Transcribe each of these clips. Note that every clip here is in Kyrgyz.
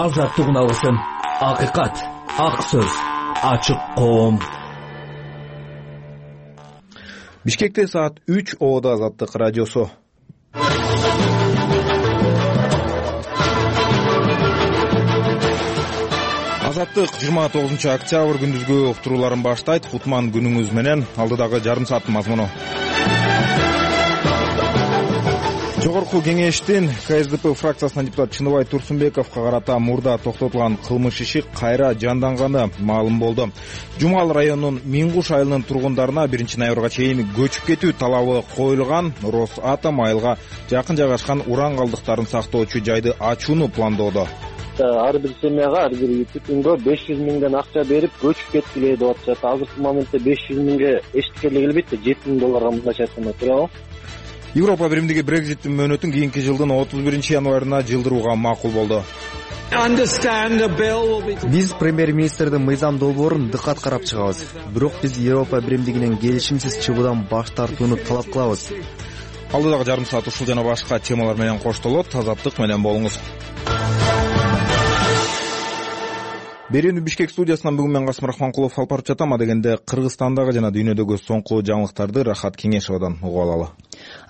азаттык үналысын, акыйкат, ак сөз, ачык коом. Бишкекте саат 3 Оодо Азаттык радиосу. Азаттык 29 октябрь күндүзгү уктурууларын баштайт. Кутман күнүңүз менен. Алдыдагы жарым сааттын мазмуну. Жогорку кеңештин КСДП фракциясынан депутат Чыныбай Турсунбековго карата мурда токтотулган кылмыш иши кайра жанданганы маалым болду. Жумал районунун Миңгуш айылынын тургундарына 1-ноябрга чейин көчүп кетүү талабы коюлган. Росатом айылга жакын жайгашкан уран калдыктарын сактоочу жайды ачууну пландоодо. Ар бир семьяга, ар бир күнгө 500 миңден акча берип көчүп кеткиле деп атышат. Азыркы моментте 500 миңге эчтекеле келбейт да, 7 000 мындайча айтканда, туурабы? Европа биримдиги Брекзиттин мөөнөтүн кийинки жылдын 31-январына жылдырууга макул болду. Биз премьер-министрдин мыйзам долбоорун дыкат карап чыгабыз. Бирок биз Европа биримдигинен келишимсиз чыгуудан баш тартууну талап кылабыз. Алдыдагы жарым саат ушул жана башка темалар менен коштолот. Азаттык менен болуңуз. Берүүнү Бишкек студиясынан бүгүн мен Касым Рахманкулов алып барып жатам. Адегенде Кыргызстандагы жана дүйнөдөгү соңку жаңылыктарды Рахат Кеңешовдон угуп алалы.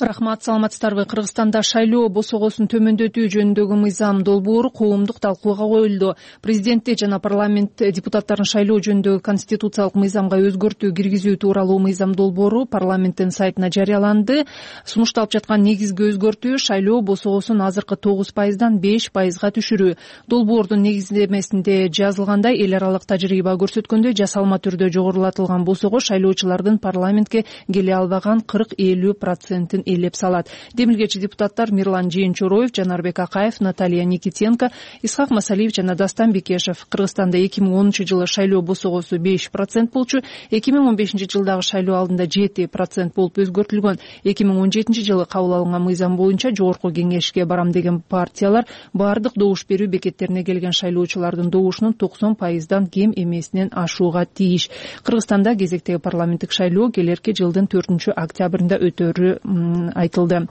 Рахмат, саламатсыздарбы? Кыргызстанда шайлоо босогосун төмөндөтүү жөнүндөгү мыйзам долбоору коомдук талкууга коюлду. Президентти жана парламент депутаттарын шайлоо жөнүндөгү конституциялык мыйзамга өзгөртүү киргизүү тууралуу мыйзам долбоору парламенттин сайтына жарыяланды. Сунушталып жаткан негизги өзгөртүү шайлоо босогосун азыркы 9%дан 5%га түшүрүү. Долбоордун негиздемесинде жазылгандай, эл аралык тажрыйба көрсөткөндөй, жасалма түрдө жогорулатылган босого шайлоочулардын парламентке келе албаган 40-50% ээлеп салат. Демилгечи депутаттар Мирлан Жээнчороев, Жанарбек Акаев, Наталья Никитенко, Исхак Масалиев жана Дастан Бекешев. Кыргызстанда 2010-жылы шайлоо босогосу 5% болчу, 2015-жылдагы шайлоо алдында 7% болуп өзгөртүлгөн. 2017-жылы кабыл алынган мыйзам боюнча жогорку кеңешке барам деген партиялар баардык добуш берүү бекеттерине келген шайлоочулардын добушунун 90%дан кем эмесинен ашууга тийиш. Кыргызстанда кезектеги парламенттик шайлоо келерки жылдын 4-октябрында өтөрү айтылды.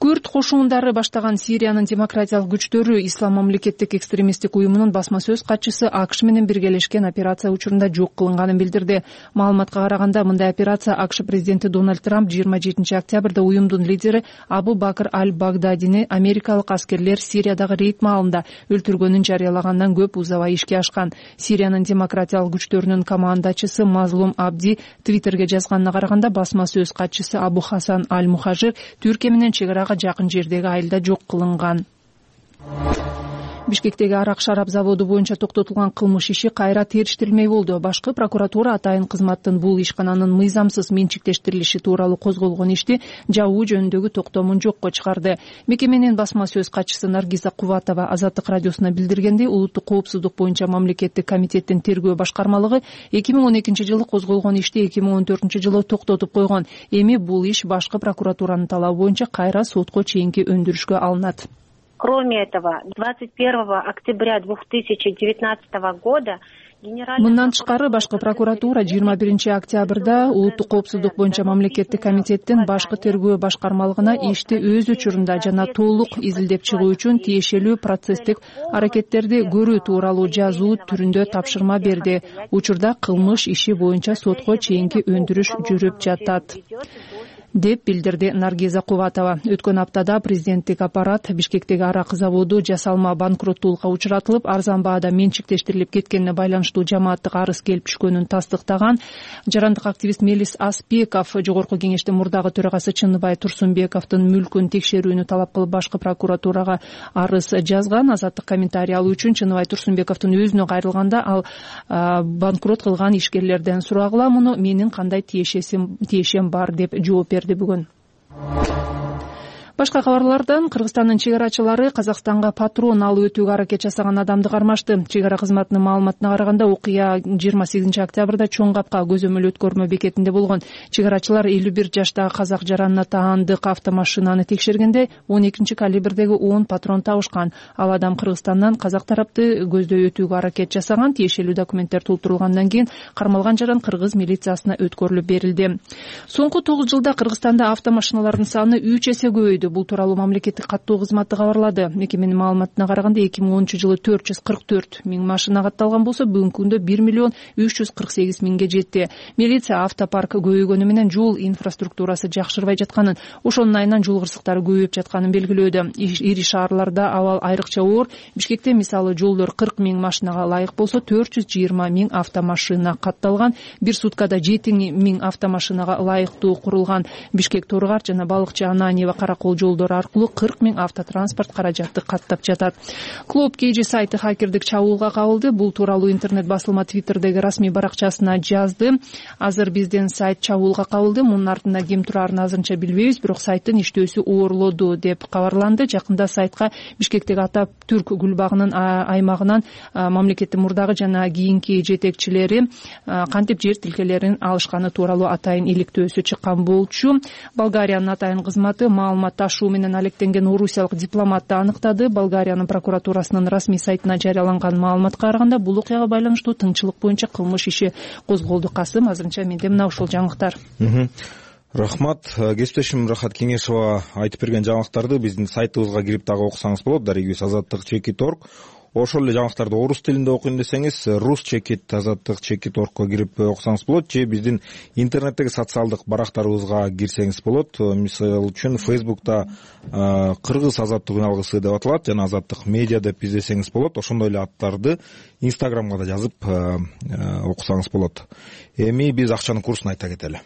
Күрд кошундары баштаган Сириянын демократиялык күчтөрү Ислам мамлекеттик экстремисттик уюмунун басма сөз катчысы АКШ менен биргелешкен операция учурунда жок кылынганын билдирди. Маалыматка караганда, мындай операция АКШ президенти Дональд Трамп 27-октябрда уюмдун лидери Абу Бакр аль-Багдадини америкалык аскерлер Сириядагы рейд маалында өлтүргөнүн жарыялагандан көп узабай ишке ашкан. Сириянын демократиялык күчтөрүнүн командачысы Мазлум Абди Твиттерге жазганына караганда, басма сөз катчысы Абу Хасан аль-Мухажир Түркия менен чегарага жакын жердеги айылда жок кылынган. Бишкектеги арак шарап заводу боюнча токтотулган кылмыш иши кайра териштирилмей болду. Башкы прокуратура атайын кызматтын бул ишкананын мыйзамсыз менчиктештирилиши тууралуу козголгон ишти жабуу жөнүндөгү токтомун жокко чыгарды. Мекеменин басма сөз катчысы Наргиза Кубатова Азаттык радиосуна билдиргендей, улуттук коопсуздук боюнча мамлекеттик комитеттин тергөө башкармалыгы 2012-жылы козголгон ишти 2014-жылы токтотуп койгон. Эми бул иш башкы прокуратуранын талабы боюнча кайра сотко чейинки өндүрүшкө алынат. Кроме этого, 21 октября 2019 года Мындан тышкары башкы прокуратура 21 октябрда улуттук коопсуздук боюнча мамлекеттик комитеттин башкы тергөө башкармалыгына ишти өз учурунда жана толук изилдеп чыгуу үчүн тиешелүү процесстик аракеттерди көрүү тууралуу жазуу түрүндө тапшырма берди. Учурда кылмыш иши боюнча сотко чейинки өндүрүш жүрүп жатат, деп билдирди Наргиза Кубатова. Өткөн аптада президенттик аппарат Бишкектеги арак заводу жасалма банкроттуулукка учуратылып, арзан баада менчиктештирилип кеткенине байланыштуу жамааттык арыз келип түшкөнүн тастыктаган. Жарандык активист Мелис Аспеков жогорку кеңештин мурдагы төрагасы Чыныбай Турсунбековдун мүлкүн текшерүүнү талап кылып башкы прокуратурага арыз жазган. Азаттык комментарий алуу үчүн Чыныбай Турсунбековдун өзүнө кайрылганда, ал банкрот кылган ишкерлерден сурагыла, муну менин кандай тиешем бар деп жооп берди бүгүн. Башка кабарлардан Кыргызстандын чегарачылары Казакстанга патрон алып өтүүгө аракет жасаган адамды кармашты. Чегара кызматынын маалыматына караганда, окуя 28 октябрда Чоң Капка көзөмөл өткөрмө бекетинде болгон. Чегарачылар 51 жаштагы казак жаранына таандык автомашинаны текшергенде 12 калибрдеги 10 патрон табышкан. Ал адам Кыргызстандан казак тарапты көздөй өтүүгө аракет жасаган. Тиешелүү документтер толтурулгандан кийин кармалган жаран кыргыз милициясына өткөрүлүп берилди. Соңку 9 жылда Кыргызстанда автомашиналардын саны 3 эсе көбөйдү. Бул тууралуу мамлекеттик каттоо кызматы кабарлады. Мекеменин маалыматына караганда 2010-жылы 444 миң машина катталган болсо, бүгүнкү күндө 1 миллион 348 миңге жетти. Милиция автопарк көбөйгөнү менен жол инфраструктурасы жакшырбай жатканын, ошонун айынан жол кырсыктары көбөйүп жатканын белгилөөдө. Ири шаарларда абал айрыкча оор. Бишкекте мисалы жолдор 40 миң машинага ылайык болсо, 420 миң автомашина катталган. Бир суткада 7 миң автомашинага ылайыктуу курулган. Бишкек Торгар жана Балыкчы Ананьева Каракол жолдору аркылуу 40 миң автотранспорт каражатты каттап жатат. Клуб KG сайты хакердик чабуулга кабылды. Бул тууралуу интернет басылма Twitter'деги расмий баракчасына жазды. Азыр биздин сайт чабуулга кабылды. Мунун артында ким турарын азырынча билбейбиз, бирок сайттын иштөөсү оорлоду деп кабарланды. Жакында сайтка Бишкектеги Ататүрк гүлбагынын аймагынан мамлекеттин мурдагы жана кийинки жетекчилери кантип жер тилкелерин алышканы тууралуу атайын иликтөөсү чыккан болчу. Болгариянын атайын кызматы маалымат ташуу менен алектенген орусиялык дипломатты аныктады. Болгариянын прокуратурасынын расмий сайтына жарыяланган маалыматка караганда, бул окуяга байланыштуу тыңчылык боюнча кылмыш иши козголду. Касым, азырынча менде мына ушул жаңылыктар. Рахмат. Кесиптешим Рахат Кеңешова айтып берген жаңылыктарды биздин сайтыбызга кирип дагы окусаңыз болот. Дарегибиз azаттык.org. Ошол эле жаңылыктарды орус тилинде окуйм десеңиз, rus.azаттык.org'го кирип окусаңыз болот, же биздин интернеттеги социалдык барактарыбызга кирсеңиз болот. Мисалы үчүн Facebook'та кыргыз азаттык үналгысы деп аталат, жана азаттык медиа деп издесеңиз болот. Ошондой эле аттарды Instagramга да жазып окусаңыз болот. Эми биз акчанын курсун айта кетели.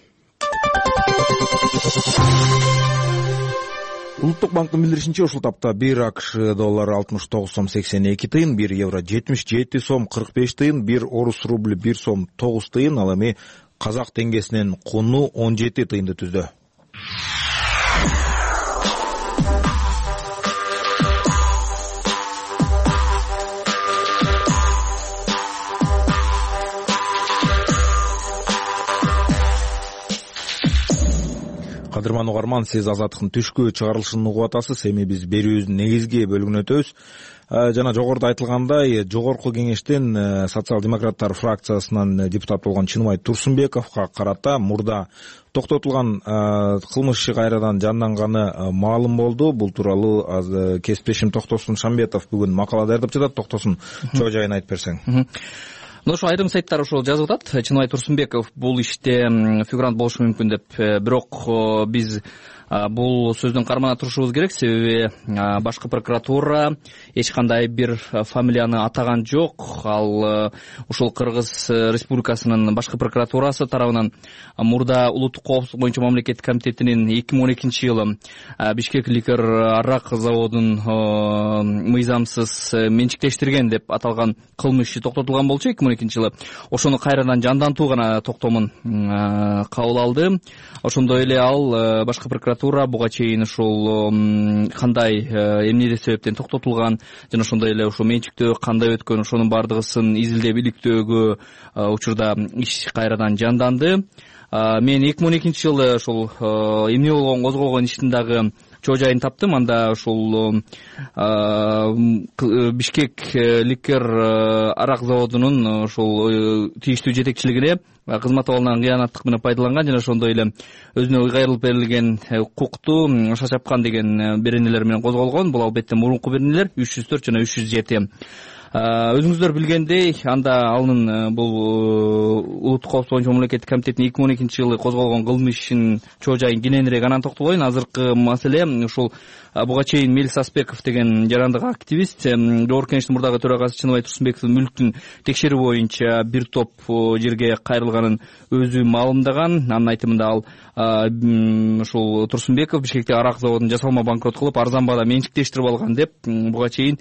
Улуттук банктын билдиришинче, ушул тапта 1 АКШ доллары 69 сом 82 тыйын, 1 евро 77 сом 45 тыйын, 1 орус рубль 1 сом 9 тыйын, ал эми казак теңгесинин куну 17 тыйынды түздү. Кадырман угарман, сиз азаттыктын түшкү чыгарылышын угуп атасыз. Эми биз берүүбүздүн негизги бөлүгүнө өтөбүз. Жана жогоруда айтылгандай, жогорку кеңештин социал-демократтар фракциясынан депутат болгон Чыныбай Турсунбековго карата мурда токтотулган кылмыш иши кайрадан жанданганы маалым болду. Бул тууралуу кесиптешим Токтосун Шамбетов бүгүн макала даярдап жатат. Токтосун, чоо жайын айтып берсең. Ошо айрым сайттар ошол жазып атат. Чыныбай Турсунбеков бул иште фигурант болушу мүмкүн деп. Бирок биз бул сөздүн кармана турушубуз керек, себеби башкы прокуратура эч кандай бир фамилияны атаган жок. Ал ушул Кыргыз Республикасынын башкы прокуратурасы тарабынан мурда улуттук коопсуздук боюнча мамлекеттик комитетинин 2012-жылы Бишкек ликер арак заводун мыйзамсыз менчиктештирген деп аталган кылмыш иши токтотулган болчу 2012-жылы. Ошону кайрадан жандантуу гана токтомун кабыл алды. Ошондой эле ал башкы прокуратура буга чейин ушул кандай эмне себептен токтотулган жана ошондой эле ушул менчиктөө кандай өткөн, ошонун бардыгысын изилдеп иликтөөгө учурда иш кайрадан жанданды. Мен 2012-жылы ушул эмне болгон козголгон иштин дагы чоо жайын таптым. Анда ушул Бишкек ликер арак заводунун ушул тийиштүү жетекчилигине кызмат абалынан кыянаттык менен пайдаланган жана ошондой эле өзүнө ыйгарылып берилген укукту шашапкан деген беренелер менен козголгон. Бул албетте мурунку беренелер 304 жана 307. Өзүңүздөр билгендей, анда анын бул улуттук коопсуздук боюнча мамлекеттик комитеттин 2012-жылы козголгон кылмыш ишинин чоо жайын кененирээк анан токтолоюн. Азыркы маселе ушул буга чейин Мелис Аспеков деген жарандык активист жогорку кеңештин мурдагы төрагасы Чыныбай Турсунбековдун мүлктүн текшерүү боюнча бир топ жерге кайрылганын өзү маалымдаган. Анын айтымында ал ушул Турсунбеков Бишкекте арак заводун жасалма банкрот кылып, арзан баада менчиктештирип алган деп буга чейин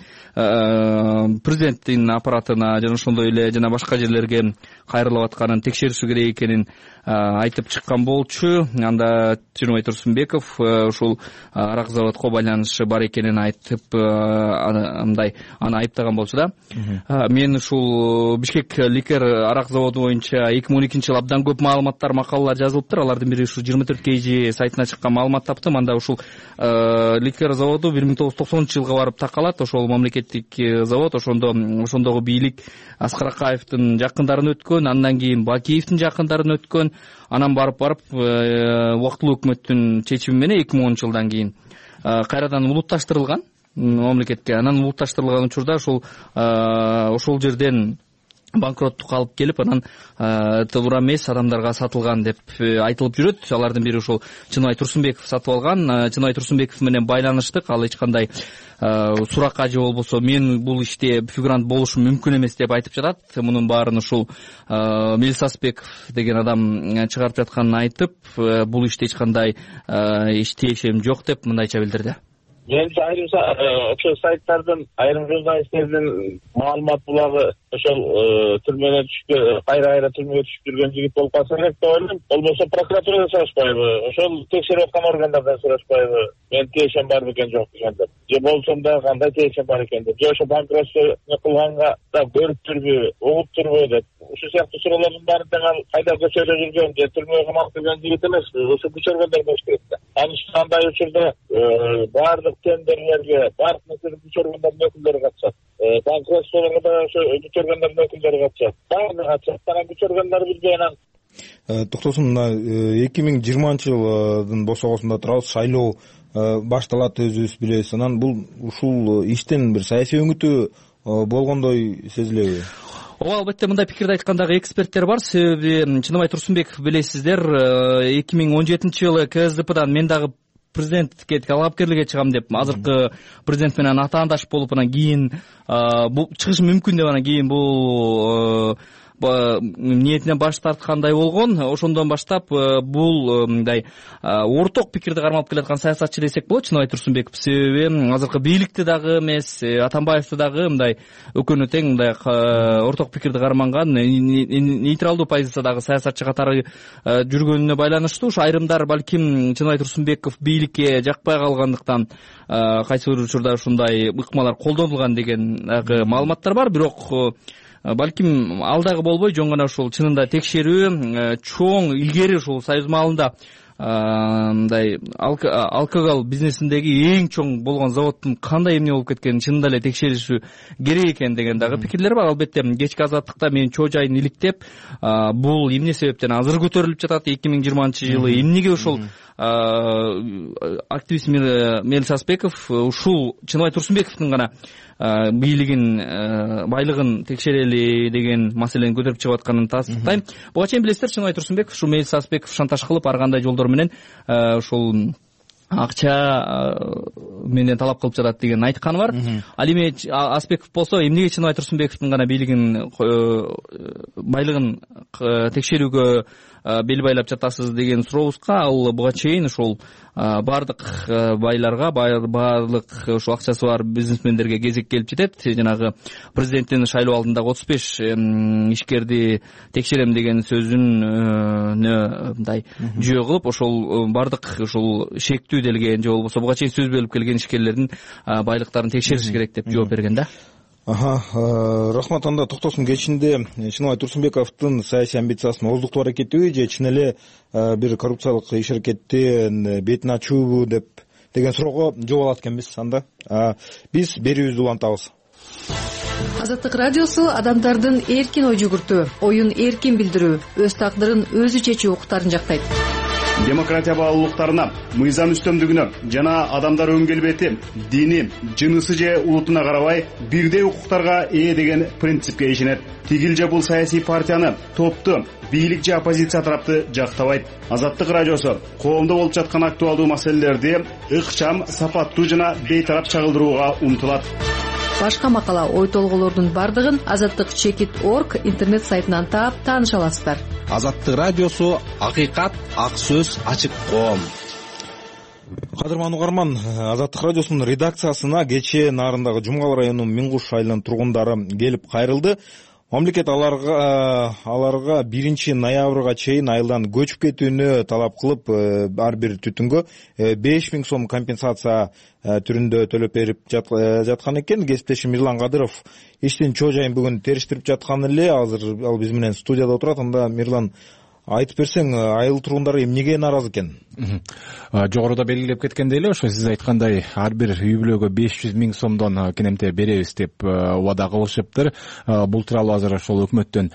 президенттин аппаратына жана ошондой эле жана башка жерлерге кайрылып атканын текшериши керек экенин айтып чыккан болчу. Анда Чыныбай Турсунбеков ушул арак заводко байланышы бар экенин айтып андай аны айыптаган болчу да. Мен ушул Бишкек ликер арак заводу боюнча 2012-жылы абдан көп маалыматтар, макалалар жазылыптыр. Алардын бири ушул 24 KG сайтына чыккан маалымат таптым. Анда ушул ликер заводу 1990-жылга барып такалат. Ошол мамлекеттик завод, ошондогу бийлик Аскар Акаевдин жакындарын өткөн, андан кийин Бакиевдин жакындарын өткөн, анан барып убактылуу өкмөттүн чечими менен 2010-жылдан кийин кайрадан улутташтырылган мамлекетке. Анан улутташтырылган учурда ошол жерден банкроттукка алып келип, анан туура эмес адамдарга сатылган деп айтылып жүрөт. Алардын бири ошол Чыныбай Турсунбеков сатып алган. Чыныбай Турсунбеков менен байланыштык. Ал эч кандай суракка же болбосо мен бул иште фигурант болушум мүмкүн эмес деп айтып жатат. Мунун баарын ушул Мелис Аспеков деген адам чыгарып жатканын айтып, бул иште эч кандай тиешем жок деп мындайча билдирди. Менимче айрым ошол сайттардын, айрым журналисттердин маалымат булагы ошол түрмөнө түшүп, кайра түрмөгө түшүп жүргөн жигит болуп калса керек деп ойлойм. Болбосо прокуратурадан сурашпайбы, ошол текшерип аткан органдардан сурашпайбы, мен тиешем бар бекен жок деген деп. Же болсом да кандай тиешем бар экен деп. Же ошо банкротство кылганга да көрүптүрбү, угуптурбу деп. Ушул сыяктуу суроолордун баарын тең ал кайда көчөдө жүргөн же түрмөгө камалып жүргөн жигит эмес, ошо күч органдар болуш керек да. Андай учурда баардык тендерлерге, баардык нерселерге күч органдардын өкүлдөрү катышат. Банкротстволорго да ошо күч органдардын өкүлдөрү катышат. Баардыгы катышат. Анан күч органдары билбей анан токтосун, мына 2020-жылдын босогосунда турабыз. Шайлоо башталат, өзүбүз билебиз. Анан бул ушул иштен бир саясий өңүтү болгондой сезилеби? Ооба, албетте мындай пикирди айткан дагы эксперттер бар. Себеби Чыныбай Турсунбеков, билесиздер, 2017-жылы КСДПдан мен дагы президенттикке талапкерликке чыгам деп, азыркы президент менен атаандаш болуп, анан кийин бул чыгышы мүмкүн деп, анан кийин бул ниетинен баш тарткандай болгон. Ошондон баштап бул мындай орток пикирди кармалып келаткан саясатчы десек болот Чыныбай Турсунбеков. Себеби азыркы бийликти дагы эмес, Атамбаевди дагы мындай өкөнү тең мындай орток пикирди карманган, нейтралдуу позициядагы саясатчы катары жүргөнүнө байланыштуу. Ушу айрымдар балким Чыныбай Турсунбеков бийликке жакпай калгандыктан кайсы бир учурда ушундай ыкмалар колдонулган деген дагы маалыматтар бар. Бирок балким ал дагы болбой, жөн гана ушул чынында текшерүү чоң илгери ушул Союз маалында мындай алкогол бизнесиндеги эң чоң болгон заводдун кандай эмне болуп кеткенин чынында эле текшериши керек экен деген дагы пикирлер бар. Албетте кечки азаттыкта менин чоо жайын иликтеп, бул эмне себептен азыр көтөрүлүп жатат 2020-жылы, эмнеге ушул активист Мелис Аспеков ушул Чыныбай Турсунбековдун гана бийлигин, байлыгын текшерели деген маселени көтөрүп чыгып атканын тастыктайм. Буга чейин билесиздер, Чыныбай Турсунбеков ушул Мелис Аспеков шантаж кылып, ар кандай жолдор менен ушул акча менен талап кылып жатат деген айтканы бар. Ал эми Аспеков болсо эмнеге Чыныбай Турсунбековдун гана бийлигин, байлыгын текшерүүгө бел байлап жатасыз деген сурообузга ал буга чейин ушул баардык байларга, баардык ушул акчасы бар бизнесмендерге кезек келип жетет. Жанагы президенттин шайлоо алдындагы 35 ишкерди текшерем деген сөзүн мындай жөө кылып, ошол баардык ушул шектүү делген же болбосо буга чейин сөз берип келген ишкерлердин байлыктарын текшериш керек деп жооп берген да. Рахмат. Анда токтосун кечинде Чыныбай Турсунбековдун саясий амбициясынын ооздуктуу аракетиби же чын эле бир коррупциялык иш аракеттин бетин ачуубу деген суроого жооп алат экенбиз. Анда биз берүүбүздү улантабыз. Азаттык радиосу адамдардын эркин ой жүгүртүү, оюн эркин билдирүү, өз тагдырын өзү чечүү укуктарын жактайт. Демократия баалуулуктарына, мыйзам үстөмдүгүнө жана адамдар өң келбети, дини, жынысы же улутуна карабай бирдей укуктарга ээ деген принципке ишенет. Тигил же бул саясий партияны, топту, бийлик же оппозиция тарапты жактабайт. Азаттык радиосу коомдо болуп жаткан актуалдуу маселелерди ыкчам, сапаттуу жана бейтарап чагылдырууга умтулат. Башка макала, ой толголордун бардыгын azattik.org интернет сайтынан таап тааныша аласыздар. Азаттык радиосу акыйкат, ак сөз, ачык коом. Кадырман угарман, Азаттык радиосунун редакциясына кечээ нарындагы Жумгал районунун Миңгуш айылынын тургундары келип кайрылды. Мамлекет аларга 1 ноябрга чейин айылдан көчүп кетүүнү талап кылып, ар бир түтүнгө 5000 сом компенсация түрүндө төлөп берип жаткан экен. Кесиптешим Мирлан Кадыров иштин чоо жайын бүгүн териштирип жаткан эле. Азыр ал биз менен студияда отурат. Анда Мирлан, айтып берсең, айыл тургундары эмнеге нааразы экен? Жогоруда белгилеп кеткендей эле, ошо сиз айткандай ар бир үй бүлөгө 500 000 сомдон кенемте беребиз деп убада кылышыптыр. Бул тууралуу азыр ошол өкмөттөн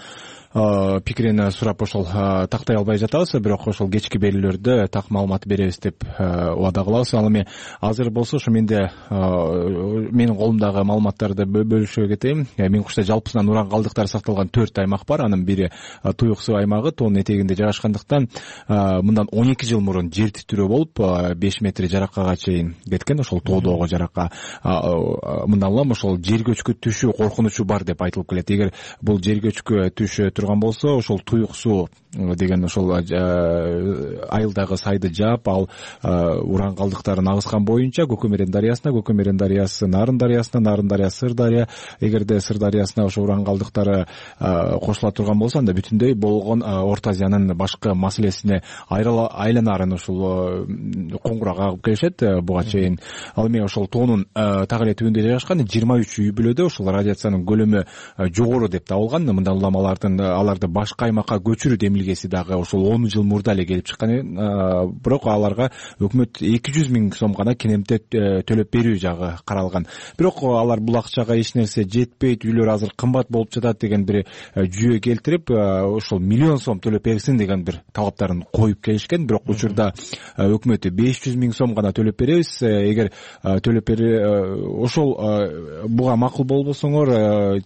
пикирин сурап ошол тактай албай жатабыз, бирок ошол кечки берүүлөрдө так маалымат беребиз деп убада кылабыз. Ал эми азыр болсо ошо менин колумдагы маалыматтарды бөлүшө кетейин. Миңкушта жалпысынан уран калдыктары сакталган 4 аймак бар. Анын бири Туюк суу аймагы, тоонун этегинде жайгашкандыктан мындан 12 жыл мурун жер титирөө болуп 5 метр жараккага чейин кеткен. Ошол тоодогу жаракка мындан улам ошол жер көчкү түшүү коркунучу бар деп айтылып келет. Эгер бул жер көчкү түшө турган болсо, ошол Туюк суу деген ошол айылдагы сайды жаап, ал уран калдыктарын агызган боюнча Көкөмөрөн дарыясына, Көкөмөрөн дарыясы Нарын дарыясына, Нарын дарыясы Сырдарыя. Эгерде Сырдарыясына ошо уран калдыктары кошула турган болсо, анда бүтүндөй болгон Орто Азиянын башкы маселесине айланарын ушул коңгурак агып келишет буга чейин. Ал эми ошол тоонун так эле түбүндө жайгашкан 23 үй бүлөдө ушул радиациянын көлөмү жогору деп табылган. Мындан улам аларды башка аймакка көчүрүү демилгеси дагы ошол 10 жыл мурда эле келип чыккан. Бирок аларга өкмөт 200 миң сом гана кенемте төлөп берүү жагы каралган. Бирок алар бул акчага эч нерсе жетпейт, үйлөр азыр кымбат болуп жатат деген бир жүйө келтирип, ошол миллион сом төлөп берсин деген бир талаптарын коюп келишкен. Бирок учурда өкмөт 500 миң сом гана төлөп беребиз. Эгер төлөп ошол буга макул болбосоңор,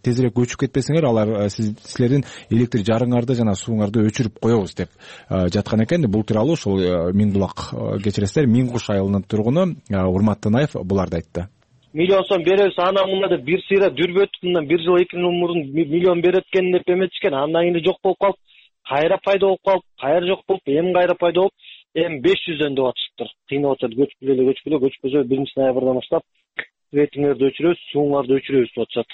тезирээк көчүп кетпесеңер, алар силердин электр жарыңарды жана сууңарды өчүрүп коебуз деп жаткан экен. Бул тууралуу ошол Миң булак, кечиресиздер, Миң куш айылынын тургуну Урмат Танаев буларды айтты. Миллион сом беребиз, анан мында бир сыйра дүрбөттүк, мындан 1 жыл 2 жыл мурун миллион берет экен деп эметишкен. Андан кийин жок болуп калып, кайра пайда болуп калып, кайра жок болуп, эми кайра пайда болуп, эми 500дөн деп атышыптыр. Кыйнап атышат, көчкүлө 1-ноябрдан баштап светиңерди өчүрөбүз, сууңарды өчүрөбүз деп атышат.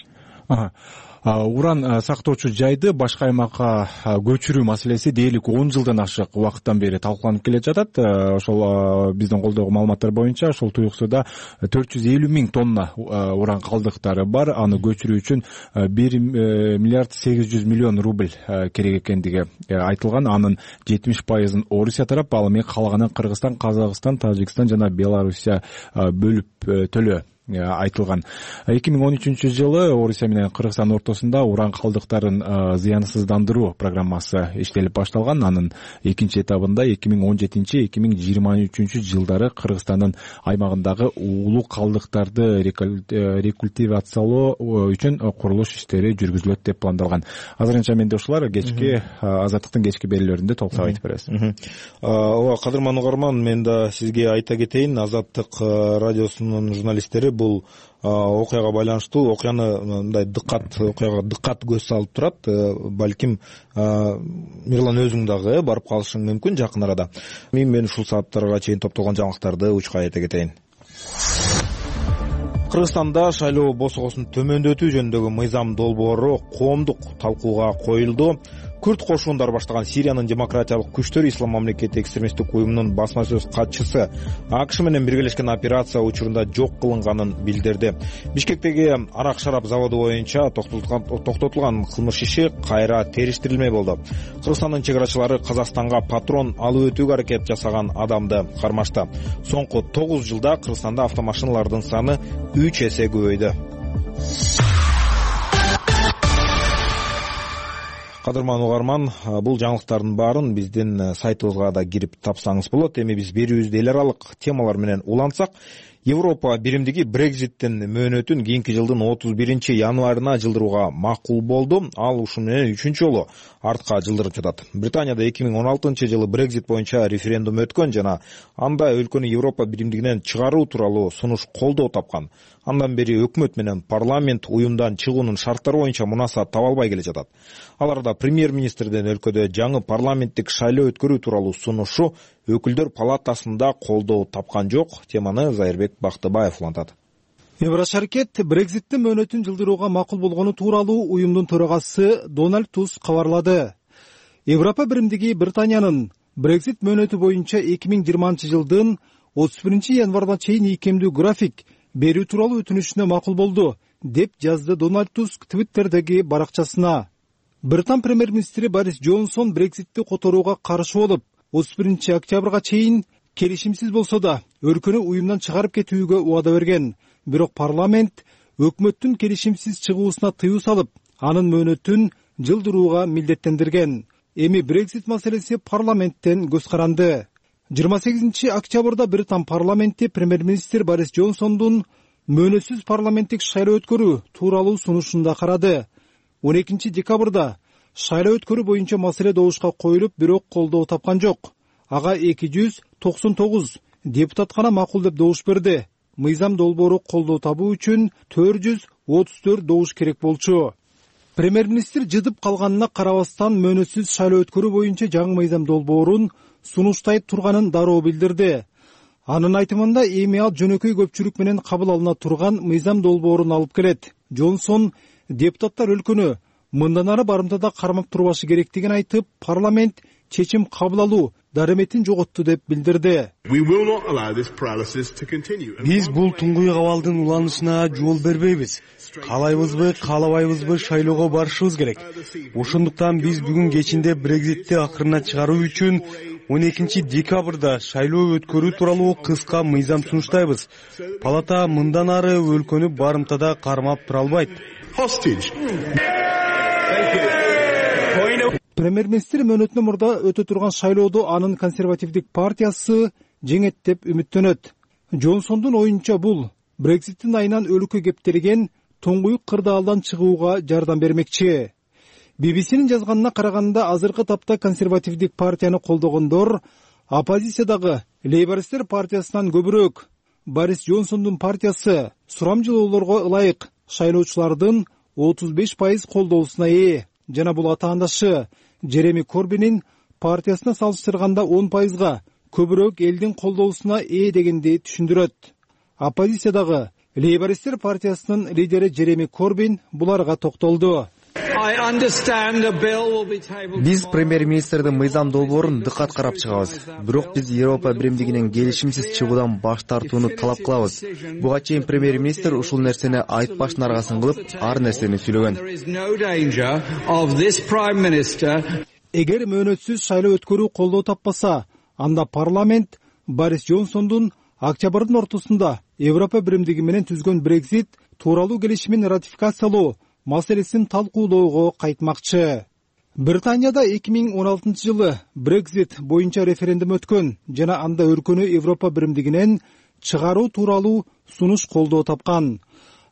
Уран сактоочу жайды башка аймакка көчүрүү маселеси дээрлик 10 жылдан ашык убакыттан бери талкууланып келе жатат. Ошол биздин колдогу маалыматтар боюнча ошол Туюк сууда 450 миң тонна уран калдыктары бар. Аны көчүрүү үчүн 1 миллиард 800 миллион рубль керек экендиги айтылган. Анын 70%-ын Орусия тарап, ал эми калганын Кыргызстан, Казакстан, Тажикстан жана Белоруссия бөлүп төлөө айтылган. 2013 жылы Орусия менен Кыргызстан ортосунда уран калдыктарын зыянсыздандыруу программасы иштелип башталган. Анын экинчи этабында 2017-2023 жылдары Кыргызстандын аймагындагы уулуу калдыктарды рекультивациялоо үчүн курулуш иштери жүргүзүлөт деп пландалган. Азырынча менде ушулар. Кечки Азаттыктын кечки берүүлөрүндө толуктап айтып бересиз. Ооба, кадырман угарман, мен да сизге айта кетейин, Азаттык радиосунун журналисттери бул окуяга байланыштуу окуяны мындай дыккат көз салып турат. Балким Мирлан өзүң дагы барып калышың мүмкүн жакын арада. Мен ушул сааттарга чейин топтолгон жаңылыктарды учка айта кетейин. Кыргызстанда шайлоо босогосун төмөндөтүү жөнүндөгү мыйзам долбоору коомдук талкууга коюлду. Күрд кошундары баштаган Сириянын демократиялык күчтөрү Ислам мамлекети экстремисттик уюмунун басма сөз катчысы АКШ менен биргелешкен операция учурунда жок кылынганын билдирди. Бишкектеги арак-шарап заводу боюнча токтотулган кылмыш иши кайра териштирилмей болду. Кыргызстандын чек арачылары Казакстанга патрон алып өтүүгө аракет жасаган адамды кармашты. Соңку 9 жылда Кыргызстанда автомашиналардын саны 3 эсе көбөйдү. Кадырман угарман, бул жаңылыктардын баарын биздин сайтыбызга да кирип тапсаңыз болот. Эми биз берүүбүздү эл аралык темалар менен улантсак, Европа биримдиги Брекзиттин мөөнөтүн кийинки жылдын 31 январына жылдырууга макул болду. Ал ушун менен 3-чү жолу артка жылдырып жатат. Британияда 2016 жылы Брекзит боюнча референдум өткөн жана анда өлкөнү Европа биримдигинен чыгаруу тууралуу сунуш колдоо тапкан. Андан бери өкмөт менен парламент уюмдан чыгуунун шарттары боюнча мунасаат таба албай келе жатат. Аларда премьер-министрдин өлкөдө жаңы парламенттик шайлоо өткөрүү тууралуу сунушу өкүлдөр палатасында колдоо тапкан жок. Теманы Зайырбек Бактыбаев улантат. Евро шаркет Брекзиттин мөөнөтүн жылдырууга макул болгону тууралуу уюмдун төрагасы Дональд Туск кабарлады. Европа биримдиги Британиянын Брекзит мөөнөтү боюнча 2020 жылдын 31 январына чейин ийкемдүү график берүү тууралуу өтүнүшүнө макул болду, деп жазды Дональд Туск Твиттердеги баракчасына. Британ премьер-министри Борис Джонсон Брекзитти которууга каршы болуп, 31 октябрга чейин келишимсиз болсо да өлкөнү уюмдан чыгарып кетүүгө убада берген. Бирок парламент өкмөттүн келишимсиз чыгуусуна тыюу салып, анын мөөнөтүн жылдырууга милдеттендирген. Эми Brexit маселеси парламенттен көз каранды. 28 октябрда Британ парламенти премьер-министр Борис Джонсондун мөөнөтсүз парламенттик шайлоо өткөрүү тууралуу сунушунда карады. 12 декабрда шайлоо өткөрүү боюнча маселе добушка коюлуп, бирок колдоо тапкан жок. Ага 299 депутат гана макул деп добуш берди. Мыйзам долбоору колдоо табуу үчүн 434 добуш керек болчу. Премьер-министр жыдып калганына карабастан мөөнөтсүз шайлоо өткөрүү боюнча жаңы мыйзам долбоорун сунуштай турганын дароо билдирди. Анын айтымында эми ал жөнөкөй көпчүлүк менен кабыл алына турган мыйзам долбоорун алып келет. Джонсон депутаттар өлкөнү мындан ары барымтада кармап турбашы керектигин айтып, парламент чечим кабыл алуу дареметін жоготту деп билдирди. Биз бул туңгуй абалдын уланышына жол бербейбиз. Каалайбызбы, каалабайбызбы шайлоого барышыбыз керек. Ошондуктан биз бүгүн кечинде Брекзитти акырына чыгаруу үчүн 12 декабрда шайлоо өткөрүү тууралуу кыска мыйзам сунуштайбыз. Палата мындан ары өлкөнү барымтада кармап тура албайт. Премьер-министр мөөнөтүнөн мурда өтө турган шайлоодо анын консервативдик партиясы жеңет деп үмүттөнөт. Джонсондун оюнча бул Брекситтин айынан өлкө кептелген тоңгуюк кырдаалдан чыгууга жардам бермекчи. BBC-нин жазганына караганда, азыркы тапта консервативдик партияны колдогондор оппозициядагы Лейбористтер партиясынан көбүрөөк. Борис Джонсондун партиясы сурамжылоолорго ылайык шайлоочулардын 35% колдоосуна ээ. Жана бул атаандашы Джереми Корбинин партиясына салыштырганда 10%га көбүрөөк элдин колдоосуна ээ дегенди түшүндүрөт. Оппозициядагы Лейбористтер партиясынын лидери Джереми Корбин буларга токтолду. Биз премьер-министрдин мыйзам долбоорун дыкат карап чыгабыз. Бирок биз Европа биримдигинен келишимсиз чыгуудан баш тартууну талап кылабыз. Буга чейин премьер-министр ушул нерсени айтпаштын аргасын кылып, ар нерсени сүйлөгөн. Эгер мөөнөтсүз шайлоо өткөрүү колдоо таппаса, анда парламент Борис Джонсондун октябрдын ортосунда Европа биримдиги менен түзгөн Brexit тууралуу келишимин ратификациялоо маселесин талкуулоого кайтмакчы. Британияда 2016 жылы Brexit боюнча референдум өткөн жана анда өлкөнү Европа биримдигинен чыгаруу тууралуу сунуш колдоо тапкан.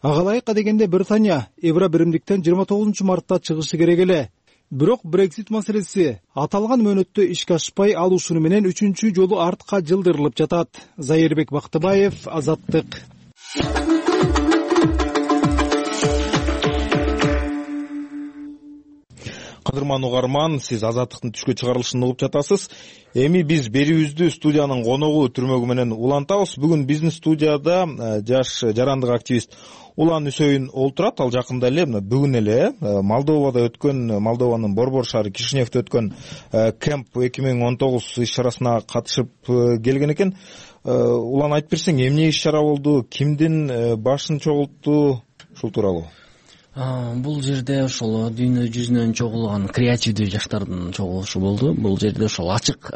Ага ылайык дегенде Британия Евро биримдиктен 29 мартта чыгышы керек эле. Бирок Brexit маселеси аталган мөөнөттө ишке ашпай, ал ушуну менен 3-чү жолу артка жылдырылып жатат. Зайырбек Бактыбаев, Азаттык. Кадырман угарман, сиз Азаттыктын түшкө чыгарылышын угуп жатасыз. Эми биз берүүбүздү студиянын коногу түрмөгү менен улантабыз. Бүгүн биздин студияда жаш жарандык активист Улан Үсөйүн олтурат. Ал жакында эле, бүгүн эле Молдовада өткөн, Молдованын Борбор шаары Кишиневде өткөн Кемп 2019 иш-чарасына катышып келген экен. Улан, айтып берсең, эмне иш-чара болду, кимдин башын чогултту, ушул тууралуу? Бул жерде ошол дүйнө жүзүнөн чогулган креативдүү жаштардын чогулушу болду. Бул жерде ошол ачык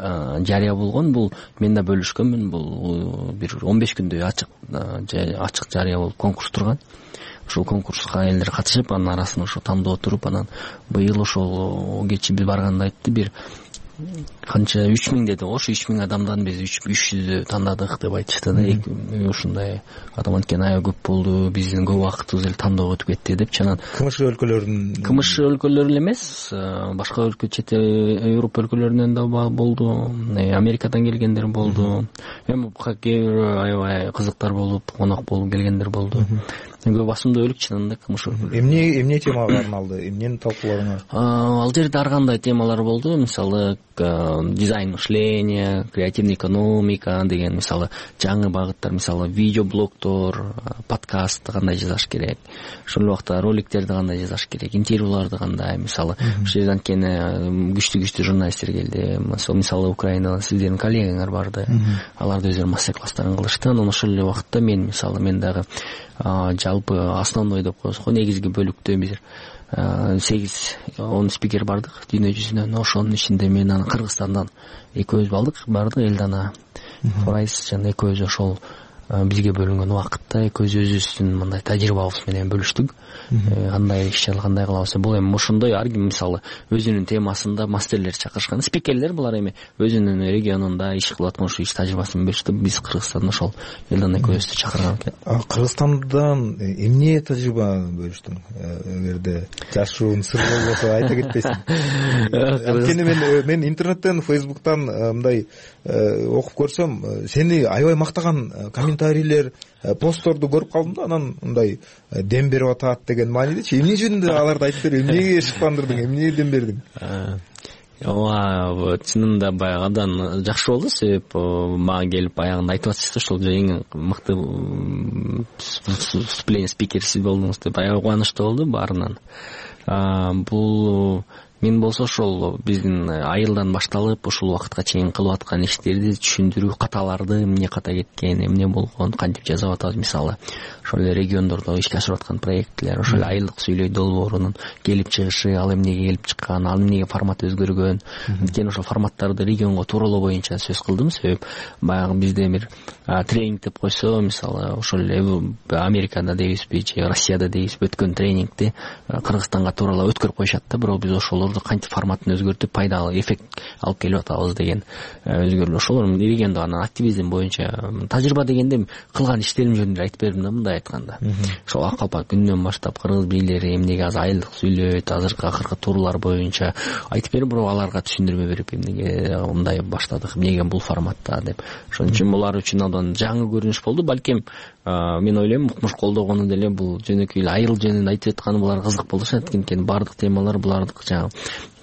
жарыя болгон. Бул мен да бөлүшкөнмүн. Бул бир 15 күндөй ачык жарыя болуп конкурс турган. Ошол конкурска элдер катышып, анын арасынан ошо тандоо туруп, анан быйыл ошол кечи биз барганда айтты, бир канча 3000 деди. Ошо 3000 адамдан биз 300 тандадык деп айтышты да. Ушундай адам анткени аябай көп болду. Биздин көп убактыбыз эле тандоого өтүп кетти деп. Чанан КМШ өлкөлөрү эле эмес, башка өлкө, чет Европа өлкөлөрүнөн да болду, Америкадан келгендер болду. Эми аябай кызыктар болуп, конок болуп келгендер болду. Көп басымдуу өлүк чынында КМШ өлкөлөрү. Эмне темага арналды? Эмнени талкуулагандар? Ал жерде ар кандай темалар болду. Мисалы, дизайн мышления, креативный экономика деген, мисалы, жаңы багыттар, мисалы, видеоблогдор, подкаст кандай жазаш керек, ошол убакта роликтерди кандай жазаш керек, интервьюларды кандай, мисалы, ошол жерден кийин күчтүү журналисттер келди. Мисалы, Украинада сиздердин коллегаңар барды. Алар да өздөрүнүн мастер-класстарын кылышты. Анан ошол эле убакытта мен, мисалы, мен дагы жалпы основной деп коебуз го, негизги бөлүктө бир 8-10 спикер бардык дүйнө жүзүнөн. Ошонун ичинде мен аны Кыргызстандан экөөбүз бардык, Элдана Форайс жана экөөбүз ошол бизге бөлүнгөн убакытта экөөбүз өзүбүздүн мындай тажрыйбабыз менен бөлүштүк. Кандай иш-чара кандай кылабыз. Бул эми ошондой ар ким мисалы өзүнүн темасында мастерлер чакырышкан, спикерлер булар эми өзүнүн регионунда иш кылып аткан ошо иш тажрыйбасын бөлүштү. Биз Кыргызстанда ошол Элдана экөөбүздү чакырган экен. Кыргызстандан эмне тажрыйба бөлүштүң? Эгерде жашыруун сыр болбосо айта кетпесиң. Анткени мен интернеттен, Facebooktан мындай окуп көрсөм, сени аябай мактаган комментарийлер, постторду көрүп калдым да, анан мындай дем берип атат деген маанидечи. Эмне жөнүндө аларды айтып бер, эмнеге шыктандырдың, эмне дем бердиң? Ооба, чынында баягы абдан жакшы болду, себеп мага келип баягында айтып атышты, ошол эң мыкты выступление спикер сиз болдуңуз деп аябай кубанычтуу болду баарынан. Бул мен болсо ошол биздин айылдан башталып ушул убакытка чейин кылып аткан иштерди түшүндүрүү, каталарды эмне ката кеткен, эмне болгон, кантип жасап атабыз. Мисалы ошол эле региондордо ишке ашырып аткан проектлер, ошол эле айылдык сүйлөй долбоорунун келип чыгышы, ал эмнеге келип чыккан, ал эмнеге формат өзгөргөн. Анткени ошол форматтарды регионго тууралоо боюнча сөз кылдым, себеп баягы бизде бир тренинг деп койсо, мисалы ошол эле Америкада дейбизби же Россияда дейбизби өткөн тренингди Кыргызстанга тууралап өткөрүп коюшат да, бирок биз ошолорду кантип форматын өзгөртүп пайдалуу эффект алып келип атабыз деген өзгөрүү. Ошолор региондо анан активизм боюнча тажрыйба дегенде кылган иштерим жөнүндө айтып бердим да, мындай айтканда. Ошол ак калпак күнүнөн баштап кыргыз бийлери эмнеге азыр айылдык сүйлөйт, азыркы акыркы тууралар боюнча айтып берип, бирок аларга түшүндүрмө берип, эмнеге мындай баштадык, эмнеге бул форматта деп. Ошон үчүн булар үчүн абдан жаңы көрүнүш болду. Балким мен ойлойм укмуш колдогону деле бул жөнөкөй эле айыл жөнүндө айтып атканы булар кызык болушат, анткени баардык темалар булардык жаңы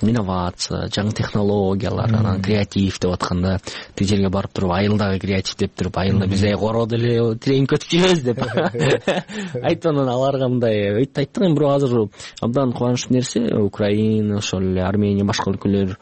инновация, жаңы технологиялар, анан креатив деп атканда тиг жерге барып туруп айылдагы креатив деп туруп, айылда биз коро деле тренинг өтүп жүрөбүз деп айтып, анан аларга мындай айттык. Эми бирок азыр абдан кубанычтуу нерсе, Украина, ошол эле Армения, башка өлкөлөр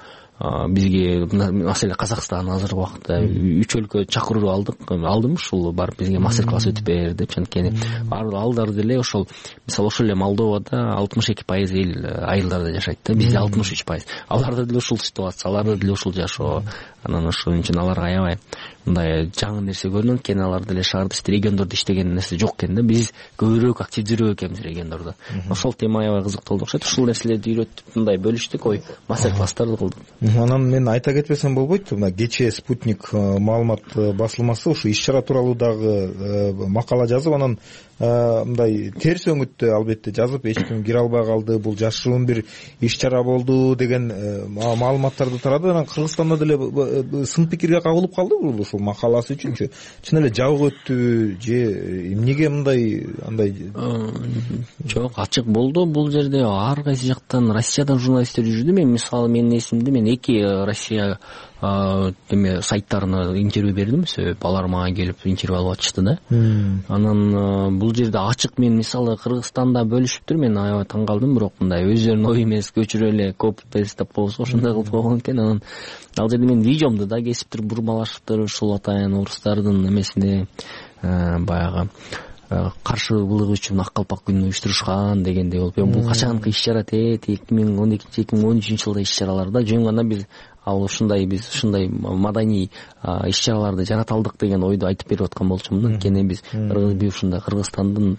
бизге, маселе Казакстан азыркы убакытта 3 өлкө чакыруу алдым, ушул барып бизге мастер класс өтүп бер деп. Анткени алдар деле ошол, мисалы ошол эле Молдовада 62% эл айылдарда жашайт да, бизде 63%. Аларда деле ушул ситуация, аларда деле ушул жашоо. Анан ошол үчүн аларга аябай мындай жаңы нерсе көрүнөт экен. Алар деле шаарда региондордо иштеген нерсе жок экен да, биз көбүрөөк активдүүрөөк экенбиз региондордо. Ошол тема аябай кызыктуу болду окшойт. Ушул нерселерди үйрөтүп мындай бөлүштүк, ой мастер класстарды кылдык. Анан мен айта кетпесем болбойт, мына кечээ Спутник маалымат басылмасы ушу иш-чара тууралуу дагы макала жазып, анан мындай терс өңүттө албетте жазып, эч ким кире албай калды, бул жашыруун бир иш-чара болду деген маалыматтарды тарады. Анан Кыргызстанда деле сын пикирге кабылып калды бул ушул макаласы үчүнчү. Чын эле жабык өттүбү же эмнеге мындай андай? Жок, ачык болду. Бул жерде ар кайсы жактан, Россиядан журналисттер жүрдү. Мен мисалы менин эсимде, мен 2 Россия сайттарына интервью бердим, себеп алар мага келип интервью алып атышты да. Анан бул жерде ачык, мен мисалы Кыргызстанда бөлүшүптүр, мен аябай таң калдым, бирок мындай өздөрүнүн ой эмес, көчүрө эле копи-пейст деп коебуз, ошондой кылып койгон экен. Анан ал жерде мен видеомду да кесиптир бурмалашыптыр, ушул атайын орустардын эмесине баягы каршылык үчүн ак калпак күнүн уюштурушкан дегендей болуп. Бул качанкы иш-чара, 2012-2013 жылда иш-чараларда жөн гана биз биз ушундай маданий иш-чараларды жарата алдык деген ойду айтып берип аткан болчумун. Анткени биз ушундай Кыргызстандын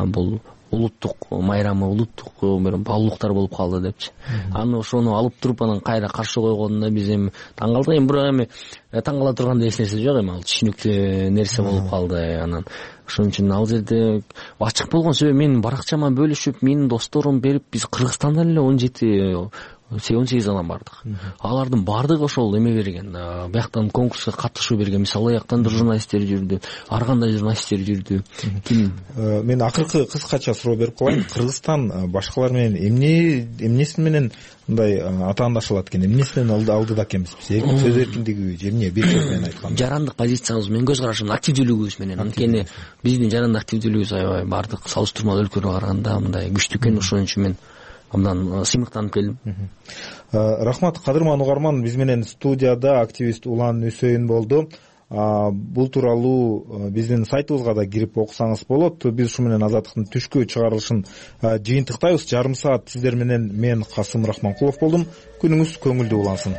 бул улуттук майрамы, улуттук бир баалуулуктар болуп калды депчи. Аны ошону алып туруп анан кайра каршы койгонуна биз эми таң калдык. Эми бирок эми таң кала тургандай эч нерсе жок, эми ал түшүнүктүү нерсе болуп калды. Анан ошон үчүн ал жерде ачык болгон себеби менин баракчама бөлүшүп, менин досторум берип, биз Кыргызстандан эле 18 адам бардык. Алардын баардыгы ошол эме берген, бияктан конкурска катышуу берген. Мисалы жактан журналисттер жүрдү, ар кандай журналисттер жүрдү. Мен акыркы кыскача суроо берип коеюн. Кыргызстан башкалар менен эмнеси менен мындай атаандашылат экен, эмнесинен алдыда экенбиз биз? Сөз эркиндиги же эмне? Бир сөз менен айтканда жарандык позициябыз менен, көз карашыбыз, активдүүлүгүбүз менен. Анткени биздин жарандык активдүүлүгүбүз аябай баардык салыштырмалуу өлкөлөргө караганда мындай күчтүү экен. Ошон үчүн мен абдан сыймыктанып келдим. Рахмат, кадырман угарман. Биз менен студияда активист Улан Үсөйүн болду. Бул тууралуу биздин сайтыбызга да кирип окусаңыз болот. Биз ушу менен Азаттыктын түшкү чыгарылышын жыйынтыктайбыз. Жарым саат сиздер менен мен Касым Рахманкулов болдум. Күнүңүз көңүлдүү улансын.